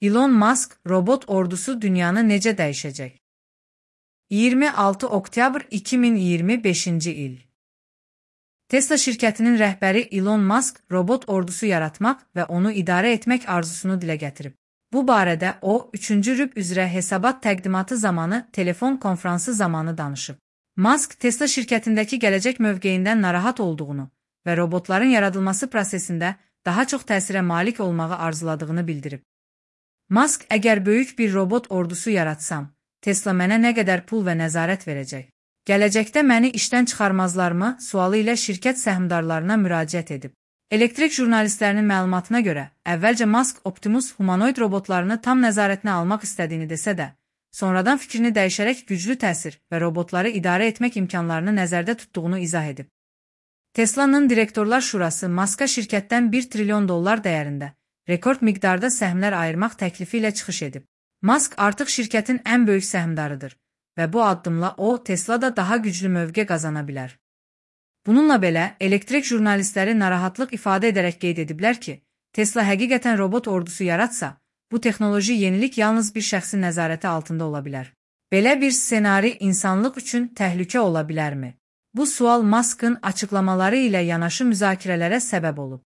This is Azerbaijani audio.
Elon Musk robot ordusu dünyanı necə dəyişəcək? 26 oktyabr 2025-ci il. Tesla şirkətinin rəhbəri Elon Musk robot ordusu yaratmaq və onu idarə etmək arzusunu dilə gətirib. Bu barədə o, 3-cü rüb üzrə hesabat təqdimatı zamanı telefon konfransı zamanı danışıb. Musk, Tesla şirkətindəki gələcək mövqeyindən narahat olduğunu və robotların yaradılması prosesində daha çox təsirə malik olmağı arzuladığını bildirib. Musk, əgər böyük bir robot ordusu yaratsam, Tesla mənə nə qədər pul və nəzarət verəcək? Gələcəkdə məni işdən çıxarmazlarmı sualı ilə şirkət səhmdarlarına müraciət edib. Elektrik jurnalistlərinin məlumatına görə, əvvəlcə Musk Optimus humanoid robotlarını tam nəzarətinə almaq istədiyini desə də, sonradan fikrini dəyişərək güclü təsir və robotları idarə etmək imkanlarını nəzərdə tutduğunu izah edib. Tesla'nın direktorlar şurası Musk'a şirkətdən $1 trilyon dəyərində rekord miqdarda səhmlər ayırmaq təklifi ilə çıxış edib. Musk artıq şirkətin ən böyük səhmdarıdır və bu addımla o, Tesla'da daha güclü mövqe qazana bilər. Bununla belə, elektrik jurnalistləri narahatlıq ifadə edərək qeyd ediblər ki, Tesla həqiqətən robot ordusu yaratsa, bu texnoloji yenilik yalnız bir şəxsin nəzarəti altında ola bilər. Belə bir ssenari insanlıq üçün təhlükə ola bilərmi? Bu sual Musk'ın açıqlamaları ilə yanaşı müzakirələrə səbəb olub.